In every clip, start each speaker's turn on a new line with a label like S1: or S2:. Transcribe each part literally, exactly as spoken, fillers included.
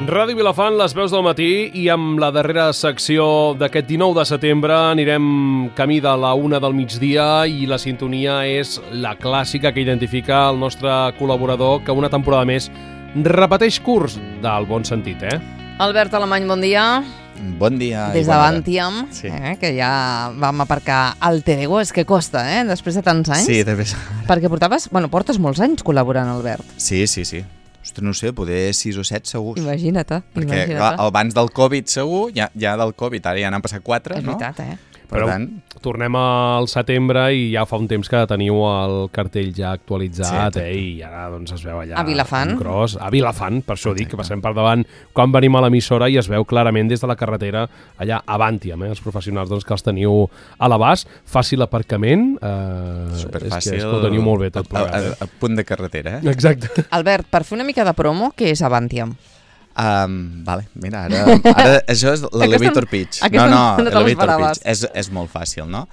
S1: Ràdio Vilafant, les veus del matí, i amb la darrera secció d'aquest dinou de setembre anirem camí de la una del migdia i la sintonia és la clàssica que identifica el nostre col·laborador que una temporada més repeteix curs del bon sentit, eh?
S2: Albert Alemany, bon dia.
S3: Bon dia.
S2: Des d'Avantiam,
S3: sí.
S2: eh, que ja vam aparcar el Terego, és que costa, eh, després de tants anys.
S3: Sí, de vez.
S2: Perquè portaves, bueno, portes molts anys col·laborant, Albert.
S3: Sí, sí, sí. Ostres, no sé, poder sis o set segurs.
S2: Imagina't,
S3: Perquè
S2: imagina't.
S3: clar, abans del Covid segur, ja, ja del Covid, ara ja n'han passat quatre,
S2: és
S3: no?
S2: És veritat, eh?
S3: Per
S1: Però
S3: tant,
S1: tornem al setembre i ja fa un temps que teniu el cartell ja actualitzat,
S3: Sí,
S1: eh? I ara doncs es veu allà
S2: A Vilafant.
S1: en gros. A Vilafant, per això dic que passem per davant quan venim a l'emissora i es veu clarament des de la carretera allà a Avantiam, eh? Els professionals doncs, que els teniu a l'abast. Fàcil aparcament, eh,
S3: superfàcil.
S1: és que, és que ho teniu molt bé tot
S3: a,
S1: plegat.
S3: a,
S1: Eh?
S3: a, a punt de carretera, eh?
S1: Exacte.
S2: Albert, per fer una mica de promo, què és Avantiam?
S3: Um, vale, mira, ara, ara això és l'elevator pitch.
S2: aquesta
S3: No,
S2: no
S3: no,
S2: te
S3: l'elevator
S2: l'esperaves.
S3: pitch. És, és molt fàcil, no?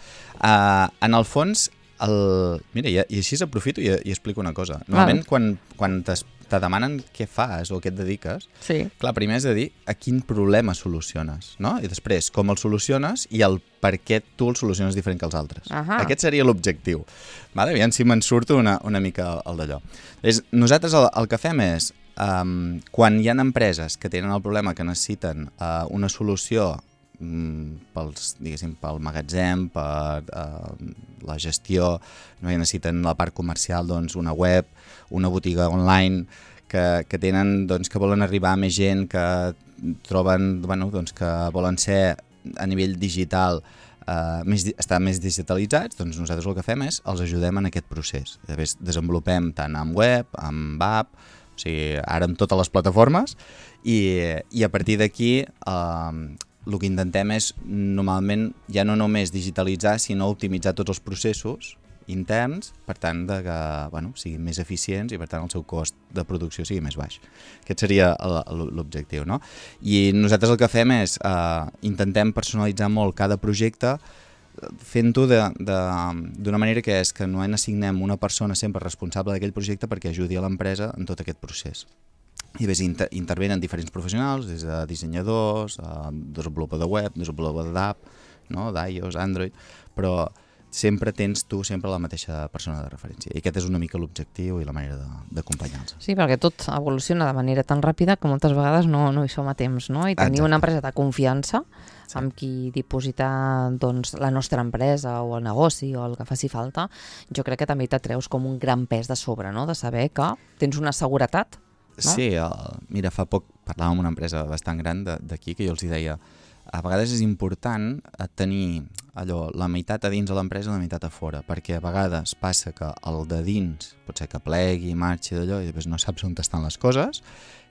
S3: Uh, en el fons, el... mira, i, i així aprofito i, i explico una cosa. Normalment,
S2: Val.
S3: quan, quan te demanen què fas o què et dediques,
S2: Sí.
S3: clar, primer has de dir a quin problema soluciones, no? I després, com el soluciones i el per què tu el soluciones diferent que els altres.
S2: Ahà.
S3: Aquest seria l'objectiu. Vale? Aviam si me'n surto una, una mica el d'allò. És, nosaltres el, el que fem és, um, quan hi ha empreses que tenen el problema que necessiten uh, una solució um, pels, diguéssim, pel magatzem, per uh, la gestió, no hi necessiten la part comercial, doncs una web, una botiga online, que, que tenen, doncs, que volen arribar a més gent, que troben, bueno, doncs, que volen ser a nivell digital, uh, més, estar més digitalitzats, doncs nosaltres el que fem és els ajudem en aquest procés. Llavors desenvolupem tant amb web, amb app, o sigui, ara amb totes les plataformes, i, i a partir d'aquí uh, el que intentem és normalment ja no només digitalitzar, sinó optimitzar tots els processos interns, per tant, de que bueno, siguin més eficients i per tant el seu cost de producció sigui més baix. Aquest seria l'objectiu, no? I nosaltres el que fem és eh, intentem personalitzar molt cada projecte fent-ho d'una manera que és que no assignem una persona sempre responsable d'aquell projecte perquè ajudi a l'empresa en tot aquest procés. I ves, inter intervenen diferents professionals, des de dissenyadors, eh, desenvolupador de web, desenvolupador d'app, no? d'iOS, Android, però sempre tens tu sempre la mateixa persona de referència. I aquest és una mica l'objectiu i la manera d'acompanyar-los.
S2: Sí, perquè tot evoluciona de manera tan ràpida que moltes vegades no, no hi som a temps, no? I tenir
S3: Exacte.
S2: una empresa de confiança
S3: Sí.
S2: amb qui dipositar doncs, la nostra empresa o el negoci o el que faci falta, jo crec que també t'atreus com un gran pes de sobre, no? De saber que tens una seguretat. No?
S3: Sí, el, mira, fa poc parlàvem amb una empresa bastant gran d'aquí que jo els hi deia a vegades és important tenir allò, la meitat a dins de l'empresa i la meitat a fora, perquè a vegades passa que el de dins pot ser que plegui, marxi d'allò i després no saps on estan les coses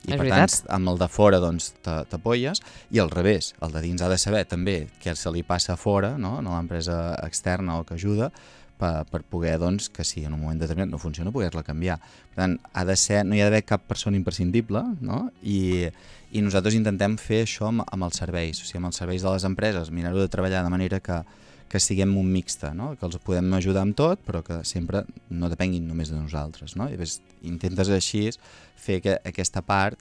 S3: i
S2: és
S3: per
S2: veritat.
S3: tant amb el de fora doncs t'apoyes i al revés, el de dins ha de saber també què se li passa a fora, no? A l'empresa externa o que ajuda per, per poder, doncs, que si en un moment determinat no funciona, poder-la canviar. Per tant, ha de ser, no hi ha d'haver cap persona imprescindible, no? I, i nosaltres intentem fer això amb, amb els serveis, o sigui, amb els serveis de les empreses, mirar-ho de treballar de manera que, que siguem un mixte, no? Que els podem ajudar amb tot, però que sempre no depenguin només de nosaltres, no? I llavors intentes així fer que, aquesta part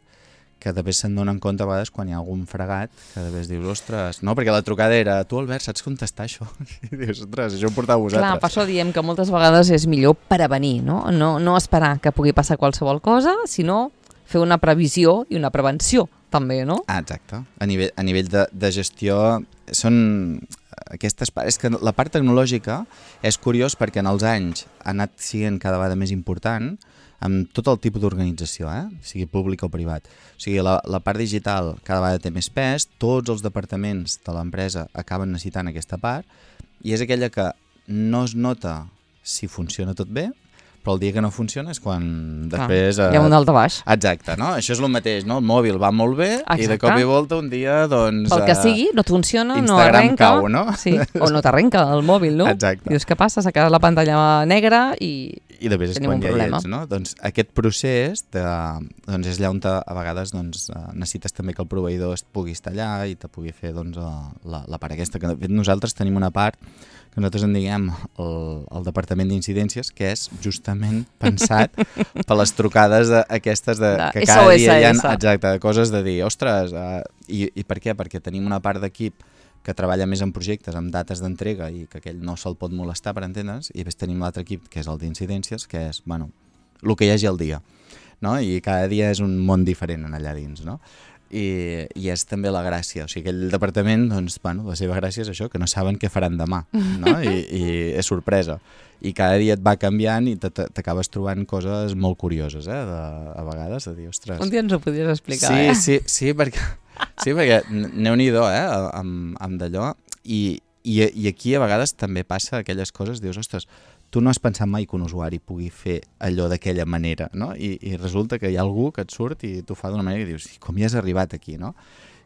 S3: que després se'n donen compte a vegades quan hi ha algun fregat, que després dius, ostres, no, perquè la trucada era, tu Albert, saps contestar això? I dius, ostres, això ho porteu vosaltres.
S2: Clar, per això diem que moltes vegades és millor prevenir, no? No, no esperar que pugui passar qualsevol cosa, sinó fer una previsió i una prevenció, també, no?
S3: Ah, exacte. A nivell, a nivell de, de gestió són aquestes parts... És que la part tecnològica és curiós perquè en els anys ha anat sent cada vegada més important amb tot el tipus d'organització, eh? Sigui públic o privat. O sigui, la, la part digital cada vegada té més pes, tots els departaments de l'empresa acaben necessitant aquesta part i és aquella que no es nota si funciona tot bé, però el dia que no funciona és quan després...
S2: Ah, hi ha un dalt de baix.
S3: Exacte, no? Això és el mateix, no? El mòbil va molt bé Exacte. I de cop i volta un dia, doncs...
S2: Pel que sigui, no et funciona,
S3: Instagram
S2: no arrenca.
S3: cau, no?
S2: Sí, o no t'arrenca el mòbil, no?
S3: Exacte.
S2: Dius, què passa? S'ha quedat la pantalla negra i...
S3: i després és
S2: Tenim
S3: quan
S2: un
S3: ja hi
S2: problema.
S3: ets, no? Doncs aquest procés de, doncs és allà on te, a vegades doncs, necessites també que el proveïdor es pugui estar allà i te pugui fer doncs, la, la part aquesta, que de fet nosaltres tenim una part que nosaltres en diguem el, el departament d'incidències, que és justament pensat per les trucades de, aquestes de,
S2: de
S3: que cada dia hi ha,
S2: S O S.
S3: exacte, de coses de dir, ostres, uh, i, i per què? Perquè tenim una part d'equip que treballa més en projectes, amb dates d'entrega i que aquell no se'l pot molestar, per entendre's, i després tenim l'altre equip, que és el d'incidències, que és, bueno, el que hi hagi al dia, no? I cada dia és un món diferent en allà dins, no? I, i és també la gràcia, o sigui, aquell departament, doncs, bueno, la seva gràcia és això, que no saben què faran demà, no? I, i és sorpresa. I cada dia et va canviant i t'acabes trobant coses molt curioses, eh, de, a vegades, de dir, ostres...
S2: Un dia ens ho podies explicar,
S3: sí,
S2: eh?
S3: Sí, sí, perquè... Sí, perquè n'eu-n'hi-do, eh, amb, amb d'allò, i, i, i aquí a vegades també passa aquelles coses, dius, ostres, tu no has pensat mai que un usuari pugui fer allò d'aquella manera, no? I, i resulta que hi ha algú que et surt i t'ho fa d'una manera que dius, com hi has arribat aquí, no?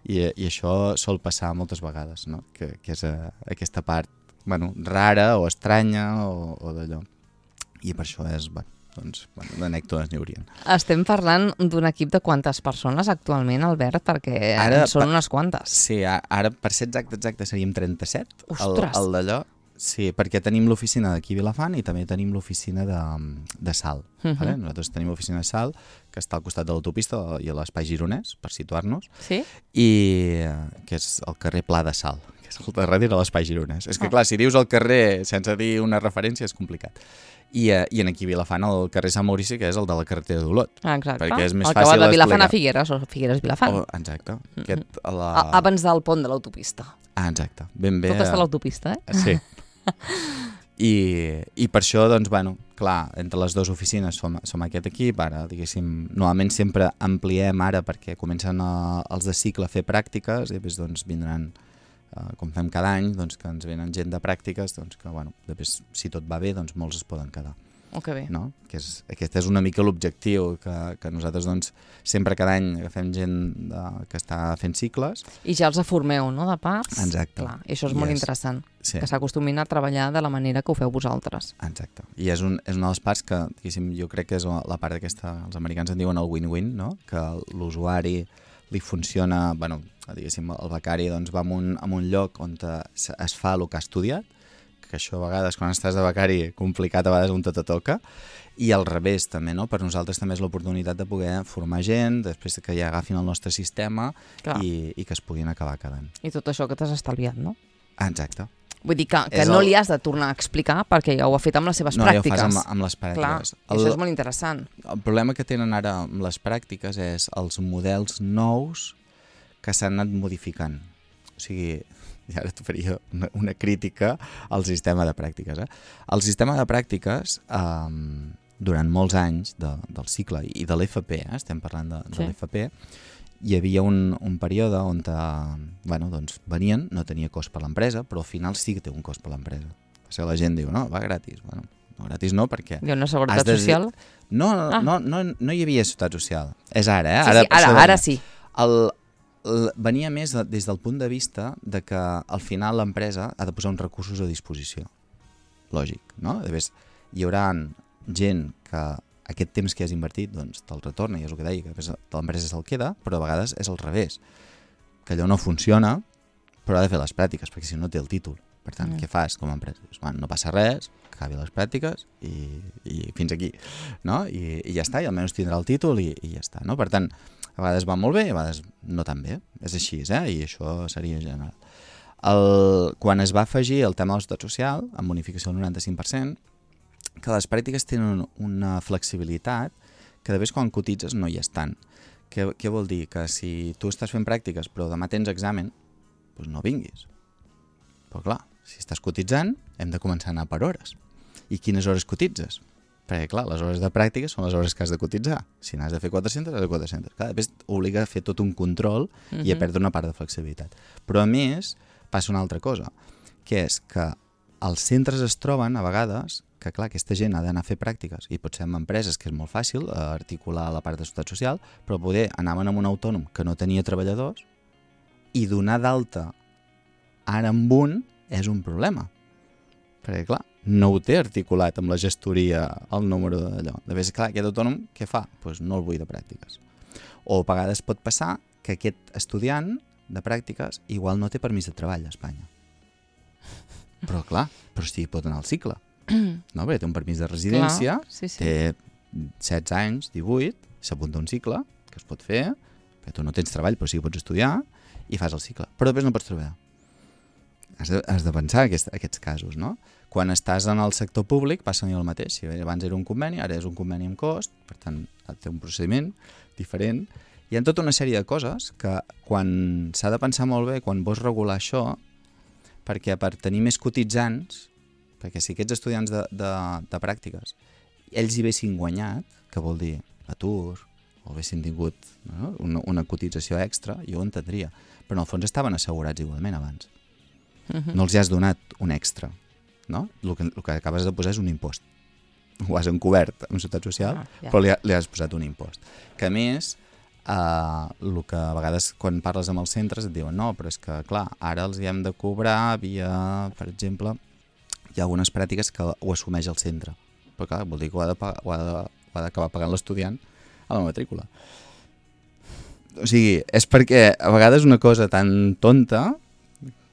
S3: I, i això sol passar moltes vegades, no? Que, que és a, aquesta part, bueno, rara o estranya o, o d'allò. I per això és, bueno, doncs, bueno, d'anècdotes n'hi haurien.
S2: Estem parlant d'un equip de quantes persones actualment, Albert? Perquè
S3: Ara,
S2: en són unes quantes.
S3: Sí, ara per ser exacte, exacte seríem trenta-set.
S2: Ostres!
S3: El, el d'allò, sí, perquè tenim l'oficina d'aquí a Vilafant i també tenim l'oficina de, de Salt. Uh -huh. Vale? Nosaltres tenim l'oficina de Salt, que està al costat de l'autopista i a l'espai gironès, per situar-nos,
S2: sí?
S3: I que és el carrer Pla de Salt, que és el darrere de l'espai gironès. És que, oh. clar, si dius el carrer sense dir una referència és complicat. I, uh, i en aquí a Vilafant el carrer Sant Maurici, que és el de la carretera d'Olot.
S2: Ah, exacte.
S3: Perquè és més
S2: el
S3: fàcil
S2: que va de Vilafant
S3: explicar.
S2: a Figueres o Figueres-Vilafant.
S3: Oh, exacte. Mm-hmm. Aquest, la...
S2: a, abans del pont de l'autopista.
S3: Ah, exacte. Ben bé.
S2: Tot està a l'autopista, eh?
S3: Sí. I, I per això, doncs, bueno, clar, entre les dues oficines som, som aquest equip, ara, diguéssim, normalment sempre ampliem ara perquè comencen a, els de cicle a fer pràctiques i després, doncs, vindran, uh, com fem cada any, doncs, que ens venen gent de pràctiques, doncs, que, bueno, després, si tot va bé, doncs, molts es poden quedar.
S2: Oh, que bé.
S3: No? Que és, aquest és una mica l'objectiu, que, que nosaltres, doncs, sempre cada any agafem gent de, que està fent cicles.
S2: I ja els formeu, no?, de parts.
S3: Exacte.
S2: Clar, i això és molt
S3: yes.
S2: interessant,
S3: sí.
S2: que s'acostumin a treballar de la manera que ho feu vosaltres.
S3: Exacte. I és, un, és una de les parts que, diguéssim, jo crec que és la part aquesta, els americans en diuen el win-win, no? Que l'usuari li funciona, bueno, diguéssim, el becari doncs, va a un, a un lloc on es, es fa el que ha estudiat, que això a vegades quan estàs de becari complicat, a vegades un tot a toca, i al revés també, no? Per nosaltres també és l'oportunitat de poder formar gent, després que ja agafin el nostre sistema i, i que es puguin acabar quedant.
S2: I tot això que t'has estalviat, no?
S3: Ah, exacte.
S2: Vull dir que, que no el... li has de tornar a explicar perquè ja ho ha fet amb les seves
S3: no,
S2: pràctiques.
S3: No, ja ho fas amb, amb les pràctiques.
S2: Clar, el... això és molt interessant.
S3: El problema que tenen ara amb les pràctiques és els models nous que s'han anat modificant. O sigui, i ara et faria una, una crítica al sistema de pràctiques. Eh? El sistema de pràctiques, eh, durant molts anys de, del cicle i de l'F P, eh? Estem parlant de,
S2: sí.
S3: de l'F P, hi havia un, un període on eh, bueno, doncs, venien, no tenia cost per l'empresa, però al final sí que té un cost per l'empresa. O sigui, la gent diu, no, va gratis. Bueno, no, gratis no, perquè...
S2: Hi ha una seguretat de... social?
S3: No, no, ah. no, no, no hi havia seguretat social. És ara, eh?
S2: Sí,
S3: Ara,
S2: sí, ara, ara sí.
S3: El... venia més de, des del punt de vista de que al final l'empresa ha de posar uns recursos a disposició. Lògic, no? Després, hi haurà gent que aquest temps que has invertit doncs, te'l retorna, i és el que deia, que l'empresa se'l queda, però a vegades és al revés, que allò no funciona, però ha de fer les pràctiques, perquè si no té el títol. Per tant, mm. què fas com a empresa? Dius, bueno, no passa res, que acabi les pràctiques i, i fins aquí, no? I, i ja està, i almenys tindrà el títol i, i ja està, no? Per tant, a vegades va molt bé i a vegades no tan bé. És així, eh? I això seria general. El, quan es va afegir el tema de la seguretat social, amb bonificació del noranta-cinc per cent, que les pràctiques tenen una flexibilitat que després quan cotitzes no hi és tant. Què, què vol dir? Que si tu estàs fent pràctiques però demà tens examen, doncs no vinguis. Però clar, si estàs cotitzant, hem de començar a anar per hores. I quines hores cotitzes? Perquè, clar, les hores de pràctica són les hores que has de cotitzar. Si n'has de fer quatre-centes, has de quatre-centes. Clar, després t'obliga a fer tot un control uh-huh. i a perdre una part de flexibilitat. Però, a més, passa una altra cosa, que és que els centres es troben, a vegades, que, clar, aquesta gent ha d'anar a fer pràctiques, i potser en empreses, que és molt fàcil eh, articular la part de seguretat social, però poder anaven amb un autònom que no tenia treballadors i donar d'alta ara amb un és un problema. Perquè, clar, no ho té articulat amb la gestoria el número d'allò. De vegades, clar, aquest autònom què fa? Doncs pues no el vull de pràctiques. O a vegades pot passar que aquest estudiant de pràctiques igual no té permís de treball a Espanya. Però clar, però sí pot anar al cicle. No? Perquè té un permís de residència,
S2: clar, sí, sí.
S3: té setze anys, divuit, s'apunta a un cicle que es pot fer, perquè tu no tens treball però sí que pots estudiar i fas el cicle. Però després no pots treballar. Has de, has de pensar aquest, aquests casos, no? Quan estàs en el sector públic passa el mateix. Si abans era un conveni, ara és un conveni amb cost, per tant, té un procediment diferent. Hi ha tota una sèrie de coses que quan s'ha de pensar molt bé, quan vols regular això, perquè per tenir més cotitzants, perquè si aquests estudiants de, de, de pràctiques, ells hi haguessin guanyat, que vol dir atur, o haguessin tingut no? una, una cotització extra, jo ho entendria. Però en el fons estaven assegurats igualment abans. Uh-huh. No els hi has donat un extra, no? El que, el que acabes de posar és un impost. Ho has encobert amb Seguretat Social, ah, ja. però li, ha, li has posat un impost. Que a més, eh, el que a vegades quan parles amb els centres et diuen no, però és que, clar, ara els hi hem de cobrar via, per exemple, hi ha algunes pràctiques que ho assumeix el centre. Però clar, vol dir que ho ha d'acabar pagant l'estudiant a la matrícula. O sigui, és perquè a vegades una cosa tan tonta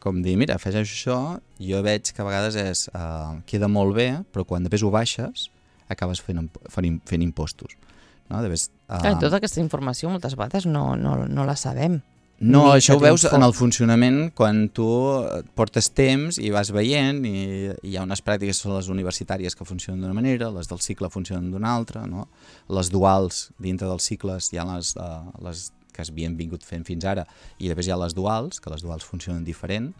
S3: com dir, mira, afegeixo això, jo veig que a vegades és, uh, queda molt bé, però quan després ho baixes, acabes fent, fent, fent impostos. No? Debes, uh...
S2: Clar, tota aquesta informació moltes vegades no, no, no la sabem.
S3: No, Ni això ho veus en el funcionament quan tu portes temps i vas veient i, i hi ha unes pràctiques són les universitàries que funcionen d'una manera, les del cicle funcionen d'una altra, no? Les duals dintre dels cicles hi ha les, uh, les que s'havien vingut fent fins ara, i després hi ha les duals, que les duals funcionen diferent,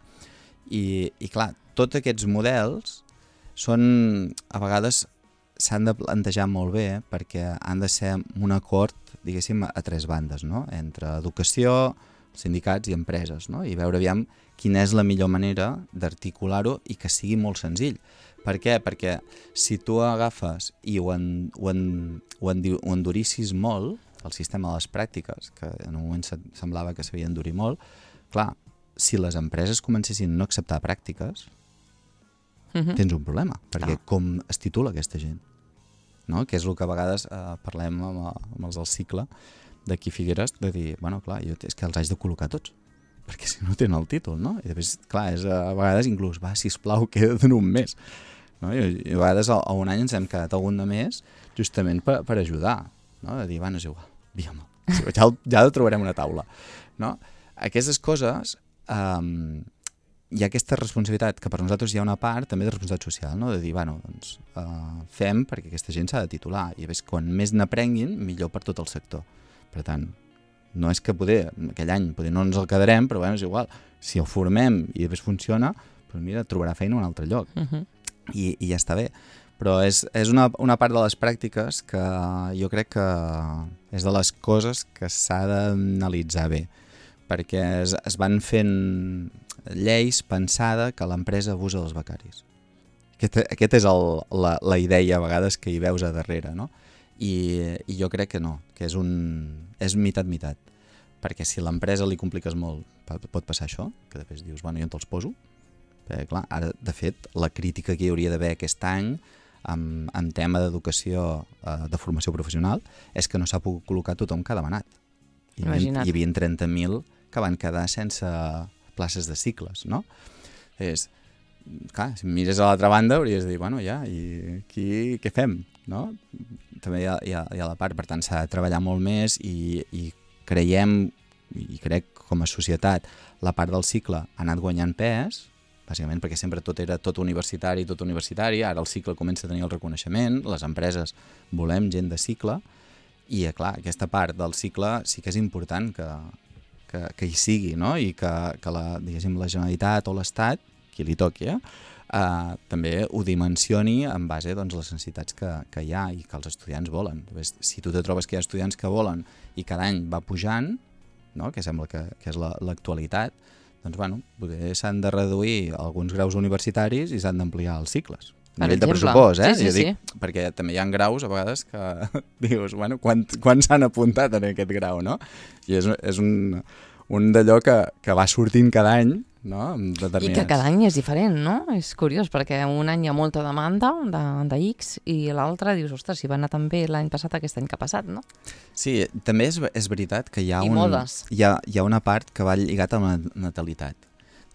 S3: i, i clar, tots aquests models són, a vegades s'han de plantejar molt bé, eh, perquè han de ser un acord, diguéssim, a tres bandes, no? Entre educació, sindicats i empreses, no? I veure aviam quina és la millor manera d'articular-ho i que sigui molt senzill. Per què? Perquè si tu agafes i ho, en, ho, en, ho, en, ho endurissis molt, el sistema de les pràctiques, que en un moment semblava que s'havia d'endurir molt, clar, si les empreses comencessin a no acceptar pràctiques, uh-huh. tens un problema, perquè ah. com es titula aquesta gent? No? Que és el que a vegades eh, parlem amb, amb els del cicle d'aquí Figueres, de dir, bueno, clar, jo, és que els haig de col·locar tots, perquè si no tenen el títol, no? I després, clar, és, a vegades inclús, va, sisplau, queda't un mes. No? I, I a vegades a, a un any ens hem quedat algun de més justament per, per ajudar, no? De dir, bueno, és igual, digue'm, ja, ja trobarem una taula. No? Aquestes coses, um, hi ha aquesta responsabilitat, que per nosaltres hi ha una part també de responsabilitat social, no? De dir, bueno, doncs, uh, fem perquè aquesta gent s'ha de titular, i a més, quan més n'aprenguin, millor per tot el sector. Per tant, no és que poder, aquell any poder no ens el quedarem, però bueno, és igual, si el formem i després funciona, doncs mira, trobarà feina a un altre lloc. Uh-huh. I, i ja està bé. Però és, és una, una part de les pràctiques que jo crec que és de les coses que s'ha d'analitzar bé, perquè es, es van fent lleis pensada que l'empresa abusa dels becaris. Aquest, aquest és el, la, la idea a vegades que hi veus a darrere, no? I, i jo crec que no, que és un és mitat-mitat, perquè si a l'empresa li compliques molt, pot passar això, que després dius, bueno, jo on te'ls poso? Perquè, clar, ara, de fet, la crítica que hi hauria d'haver aquest any en, en tema d'educació, eh, de formació professional, és que no s'ha pogut col·locar tothom que ha demanat. Hi havia, hi havia trenta mil que van quedar sense places de cicles, no? És, clar, si mires a l'altra banda hauries de dir, bueno, ja, i aquí què fem, no? També hi ha, hi ha, hi ha la part, per tant, s'ha de treballar molt més i, i creiem, i crec com a societat, la part del cicle ha anat guanyant pes, bàsicament perquè sempre tot era tot universitari, tot universitari, ara el cicle comença a tenir el reconeixement, les empreses volem gent de cicle, i clar, aquesta part del cicle sí que és important que, que, que hi sigui, no? I que, que la, diguéssim, la Generalitat o l'Estat, qui li toqui, eh? Uh, també ho dimensioni en base a doncs, les necessitats que, que hi ha i que els estudiants volen. Si tu te trobes que hi ha estudiants que volen i cada any va pujant, no? Que sembla que, que és l'actualitat, la, doncs bueno, s'han de reduir alguns graus universitaris i s'han d'ampliar els cicles. A nivell de pressupost, eh?
S2: Sí, sí,
S3: dic,
S2: sí.
S3: Perquè també hi ha graus a vegades que dius, bueno, quan, quan s'han apuntat en aquest grau, no? I és, és un, un d'allò que, que va sortint cada any, no? Amb determinats...
S2: I que cada any és diferent, no? És curiós, perquè un any hi ha molta demanda de, de X i l'altre dius, ostres, si va anar tan bé l'any passat, aquest any que ha passat, no?
S3: Sí, també és, és veritat que hi ha,
S2: I
S3: un,
S2: modes.
S3: hi, ha, hi ha una part que va lligat amb la natalitat.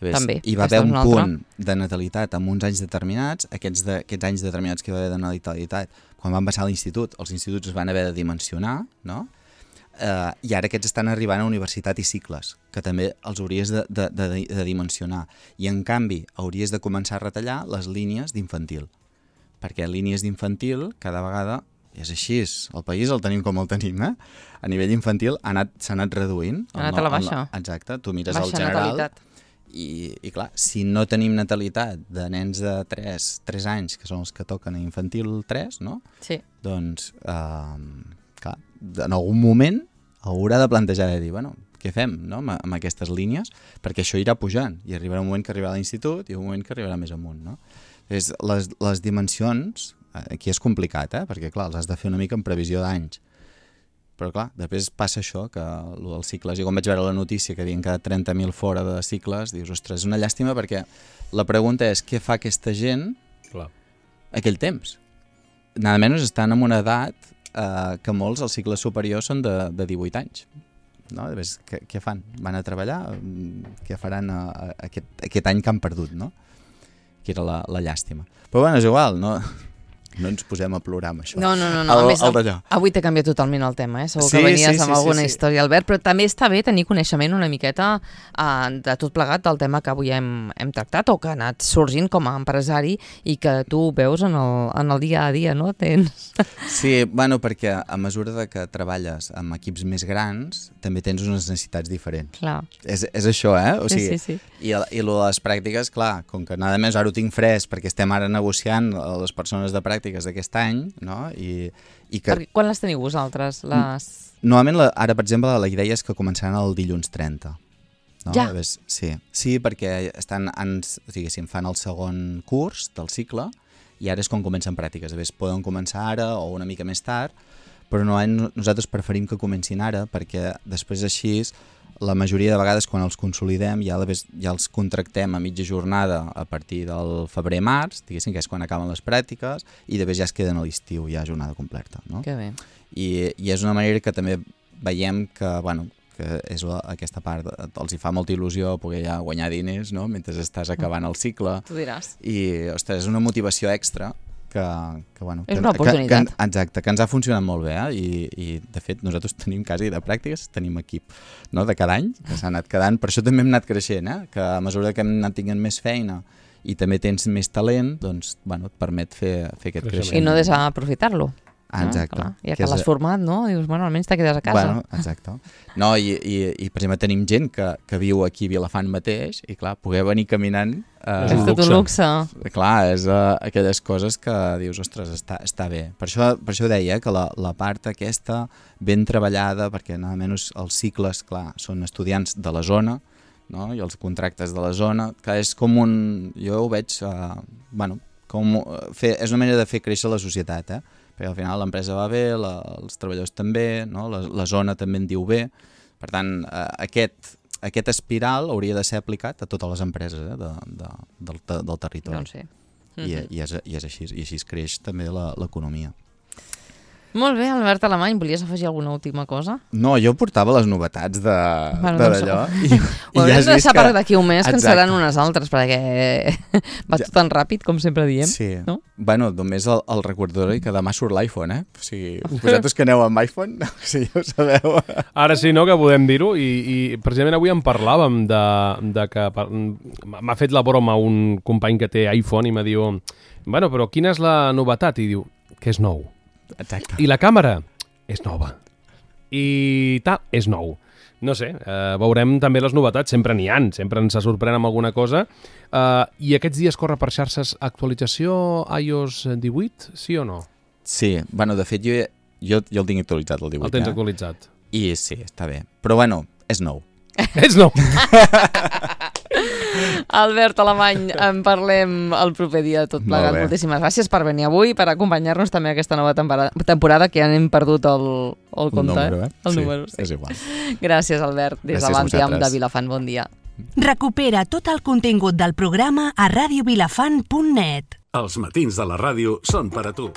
S3: Ves,
S2: També.
S3: Hi va haver un
S2: una
S3: punt de natalitat en uns anys determinats, aquests, de, aquests anys determinats que hi va haver de natalitat, quan van passar a l'institut, els instituts es van haver de dimensionar, no? Uh, i ara aquests estan arribant a universitat i cicles, que també els hauries de, de, de, de dimensionar. I en canvi hauries de començar a retallar les línies d'infantil, perquè línies d'infantil cada vegada és així, el país el tenim com el tenim, eh? A nivell infantil s'ha anat, anat reduint.
S2: Ha anat a la baixa.
S3: El, exacte, tu mires
S2: baixa
S3: el general
S2: natalitat.
S3: i, i clar, si no tenim natalitat de nens de tres anys, que són els que toquen a infantil tres, no?
S2: Sí.
S3: Doncs, uh, clar, en algun moment haurà de plantejar de dir, bueno, què fem, no?, amb, amb aquestes línies, perquè això irà pujant, i arribarà un moment que arribarà a l'institut i un moment que arribarà més amunt, no? És, les, les dimensions, aquí és complicat, eh?, perquè, clar, els has de fer una mica en previsió d'anys, però, clar, després passa això, que el dels cicles, jo quan vaig veure la notícia que havien quedat trenta mil fora de cicles, dius, ostres, és una llàstima, perquè la pregunta és, què fa aquesta gent
S1: clar.
S3: Aquell temps? Nada menys estan en una edat Uh, que molts als cicles superiors són de, de divuit anys, no? Ves, què, què fan? Van a treballar? Què faran a, a, a aquest, aquest any que han perdut, no? Que era la, la llàstima. Però bueno, és igual, no, no ens posem a plorar amb això.
S2: No, no, no, no.
S3: El,
S2: a més,
S3: el
S2: avui t'he canviat totalment el tema, eh? Segur
S3: sí,
S2: que venies
S3: sí, sí,
S2: amb alguna
S3: sí, sí.
S2: història, Albert, però també està bé tenir coneixement una miqueta uh, de tot plegat del tema que avui hem, hem tractat o que ha anat sorgint com a empresari i que tu veus en el, en el dia a dia, no? Tens...
S3: Sí, bueno, perquè a mesura de que treballes amb equips més grans també tens unes necessitats diferents.
S2: Clar.
S3: És, és això, eh? O sigui,
S2: sí, sí, sí.
S3: I, i lo de les pràctiques, clar, com que nada més ara ho tinc fresc perquè estem ara negociant les persones de pràctiques d'aquest any, no? I, i que...
S2: Perquè quan les teniu vosaltres? Les...
S3: Normalment, la, ara, per exemple, la idea és que començaran el dilluns trenta. No?
S2: Ja?
S3: Ves, sí. sí, perquè estan, ens, o sigui, si fan el segon curs del cicle i ara és quan comencen pràctiques. A veure, poden començar ara o una mica més tard, però no, nosaltres preferim que comencin ara perquè després així la majoria de vegades quan els consolidem ja, ja els contractem a mitja jornada a partir del febrer-març, diguéssim que és quan acaben les pràctiques, i després ja es queden a l'estiu, ja jornada completa. No?
S2: Que bé.
S3: I, I és una manera que també veiem que, bueno, que és la, aquesta part, els hi fa molta il·lusió poder ja guanyar diners, no?, mentre estàs acabant el cicle.
S2: Tu diràs.
S3: I, ostres, és una motivació extra que, que bueno...
S2: És
S3: que,
S2: una oportunitat.
S3: Que, que, exacte, que ens ha funcionat molt bé, eh? I, i de fet nosaltres tenim quasi de pràctiques, tenim equip, no?, de cada any, que s'ha anat quedant, per això també hem anat creixent, eh? Que a mesura que hem anat tinguent més feina i també tens més talent, doncs, bueno, et permet fer, fer aquest creixement.
S2: I no desaprofitar-lo.
S3: Ah, exacte.
S2: No? Ja que, que l'has format, no? Dius, bueno, almenys te quedes a casa.
S3: Bueno, exacte. No, i, i, i per exemple tenim gent que, que viu aquí a Vilafant mateix i clar, poder venir caminant... Eh,
S2: és tot un luxe.
S3: Clar, és uh, aquelles coses que dius, ostres, està, està bé. Per això, per això deia que la, la part aquesta ben treballada, perquè nada menys els cicles, clar, són estudiants de la zona, no? I els contractes de la zona, que és com un... Jo ho veig, uh, bueno, com fer, és una manera de fer créixer la societat, eh? Perquè al final l'empresa va bé, la, els treballadors també, no? la, la zona també en diu bé. Per tant, eh, aquest, aquest espiral hauria de ser aplicat a totes les empreses eh, de, de, del, del territori.
S2: Doncs sí.
S3: I, mm-hmm. i, és, i és així, i així es creix també l'economia.
S2: Molt bé, Albert Alemany, volies afegir alguna última cosa?
S3: No, jo portava les novetats de
S2: bueno,
S3: d'allò.
S2: Doncs... Ho haurem ja de deixar que... per d'aquí un mes, que en seran unes altres, perquè va ja. tot tan ràpid, com sempre diem.
S3: Sí.
S2: No?
S3: Bueno, només el, el recordatori que demà surt l'iPhone, eh? O sigui, vosaltres que aneu amb iPhone, si ja ho sabeu.
S1: Ara sí, no?, que podem dir-ho, i, i precisament avui en parlàvem de, de que m'ha fet la broma un company que té iPhone i m'ha diu, bueno, però quina és la novetat? I diu, que és nou.
S3: Exacte.
S1: I la càmera és nova. I tal, és nou. No sé, eh, veurem també les novetats, sempre n'hi ha, sempre ens sorprèn amb alguna cosa. Eh, I aquests dies corre per xarxes actualització i o essa divuit, sí o no?
S3: Sí, bueno, de fet jo, jo, jo el tinc actualitzat, el divuit.
S1: El tens
S3: eh?
S1: actualitzat.
S3: I sí, està bé. Però bueno, és nou.
S1: És nou.
S2: Albert Alemany, en parlem el proper dia tot plegat. Moltíssimes gràcies per venir avui, per acompanyar-nos també a aquesta nova temporada, que ja n'hem perdut el, el compte.
S3: El número, eh?
S2: El
S3: sí,
S2: número, sí.
S3: És igual.
S2: Gràcies, Albert, des de l'Antiam de Vilafant. Bon dia.
S4: Recupera tot el contingut del programa a radio vilafant punt net.
S5: Els matins de la ràdio són per a tu.